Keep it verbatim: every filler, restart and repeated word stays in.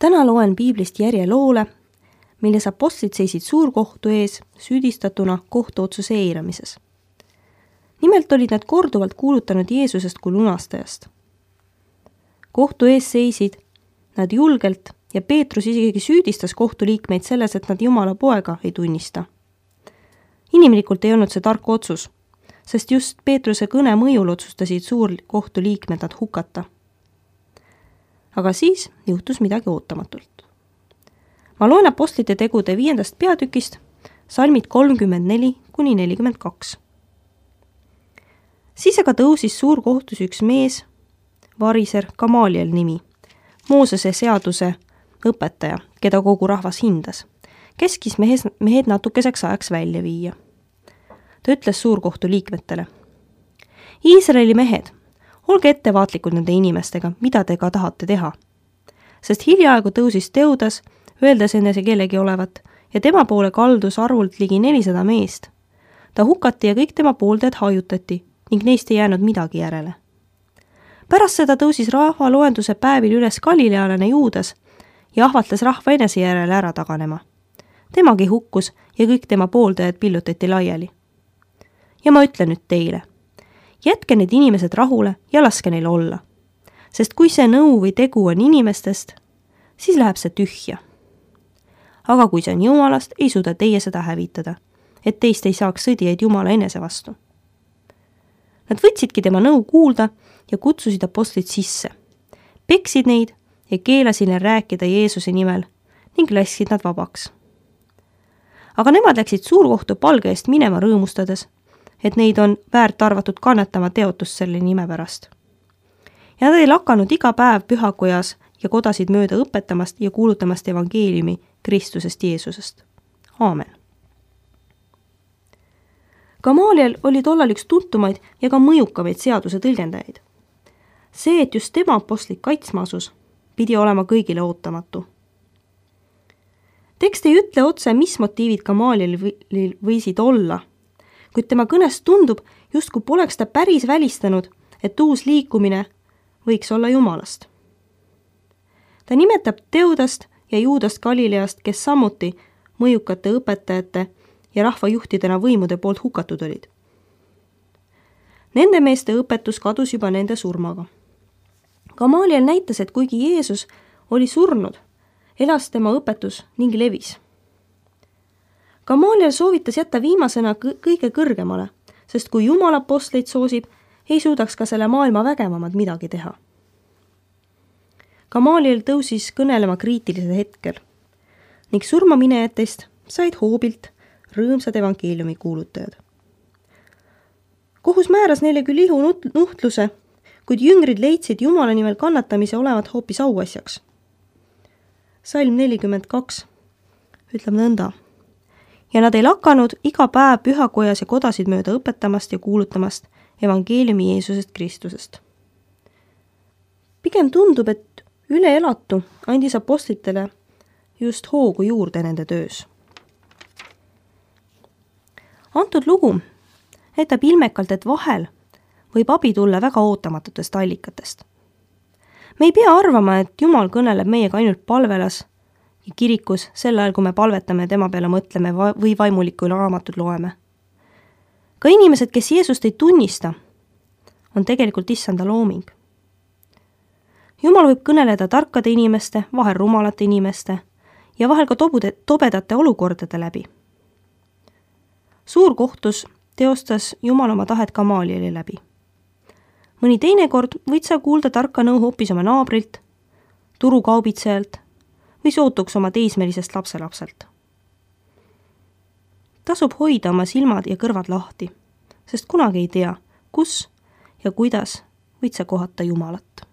Täna loen piiblist järjeloole, milles apostlid seisid suurkohtu ees süüdistatuna kohtuotsuse eiramises. Nimelt olid nad korduvalt kuulutanud Jeesusest kui lunastajast. Kohtu ees seisid nad julgelt ja Peetrus isegi süüdistas kohtuliikmeid selles, et nad Jumala poega ei tunnista. Inimlikult ei olnud see tark otsus, sest just Peetruse kõne mõjul otsustasid suurkohtuliikmed nad hukata. Aga siis juhtus midagi ootamatult. Ma loen apostlite tegude viiendast peatükist, salmid kolmkümmend neli kuni nelikümmend kaks. Siis aga tõusis suurkohtus üks mees, variser Gamaliel nimi, Moosese seaduse õpetaja, keda kogu rahvas hindas, keskis mehes, mehed natukeseks ajaks välja viia. Ta ütles suurkohtu liikmetele: Iisraeli mehed, olge ettevaatlikud nende inimestega, mida te ka tahate teha. Sest hiljaaegu tõusis Teudas, öeldes enese kellegi olevat, ja tema poole kaldus arvult ligi nelisada meest. Ta hukati ja kõik tema pooldajad hajutati ning neist ei jäänud midagi järele. Pärast seda tõusis rahva loenduse päevil üles galilealane Juudas ja ahvatles rahva enese järele ära taganema. Temagi hukkus ja kõik tema pooldajad pillutati laiali. Ja ma ütlen nüüd teile, jätke need inimesed rahule ja laske neil olla. Sest kui see nõu või tegu on inimestest, siis läheb see tühja. Aga kui see on Jumalast, ei suuda teie seda hävitada, et teist ei saaks sõdijaid Jumala enese vastu. Nad võtsidki tema nõu kuulda ja kutsusid apostlid sisse, peksid neid ja keelasid neil rääkida Jeesuse nimel ning lasksid nad vabaks. Aga nemad läksid suurkohtu palge eest minema rõõmustades, et neid on väärt arvatud kannatama teotust selle nime pärast. Ja nad ei lakanud iga päev pühakojas ja kodasid mööda õpetamast ja kuulutamast evangeeliumi Kristusest Jeesusest. Aamen. Gamaliel oli tollal üks tuntumaid ja ka mõjukamaid seaduse tõlgendajaid. See, et just tema apostlit kaitsma asus, pidi olema kõigile ootamatu. Tekst ei ütle otse, mis motiivid Gamaliel võisid olla, kuid tema kõnest tundub, justkui poleks ta päris välistanud, et uus liikumine võiks olla Jumalast. Ta nimetab Teudast ja Juudast Galileast, kes samuti mõjukate õpetajate ja rahvajuhtidena võimude poolt hukatud olid. Nende meeste õpetus kadus juba nende surmaga. Gamaliel näitas, et kuigi Jeesus oli surnud, elas tema õpetus ning levis. Gamaliel soovitas jätta viimasena kõige kõrgemale, sest kui Jumal apostleid soosib, ei suudaks ka selle maailma vägevamad midagi teha. Gamaliel tõusis kõnelema kriitilisel hetkel ning surmaminejatest said hoobilt rõõmsad evangeeliumi kuulutajad. Kohus määras neile küll ihu nuhtluse, kuid jüngrid leidsid Jumala nimel kannatamise olevat hoopis auasjaks. Salm nelikümmend kaks ütleb nõnda: ja nad ei lakanud iga päev pühakojas ja kodasid mööda õpetamast ja kuulutamast evangeeliumi Jeesusest Kristusest. Pigem tundub, et üle elatu andis apostlitele just hoogu juurde nende töös. Antud lugu näitab ilmekalt, et vahel võib abi tulla väga ootamatutest allikatest. Me ei pea arvama, et Jumal kõneleb meiega ainult palvelas ja kirikus sel ajal, kui me palvetame tema peale mõtleme või vaimulikku raamatut loeme. Ka inimesed, kes Jeesust ei tunnista, on tegelikult issanda looming. Jumal võib kõneleda tarkade inimeste, vahel rumalate inimeste ja vahel ka tobude, tobedate olukordade läbi. Suurkohtus teostas Jumal oma tahet Gamalieli läbi. Mõni teine kord võid sa kuulda tarka nõu hoopis oma naabrilt, turukaubitsejalt või sootuks oma teismelisest lapselapselt. Tasub hoida oma silmad ja kõrvad lahti, sest kunagi ei tea, kus ja kuidas võid sa kohata Jumalat.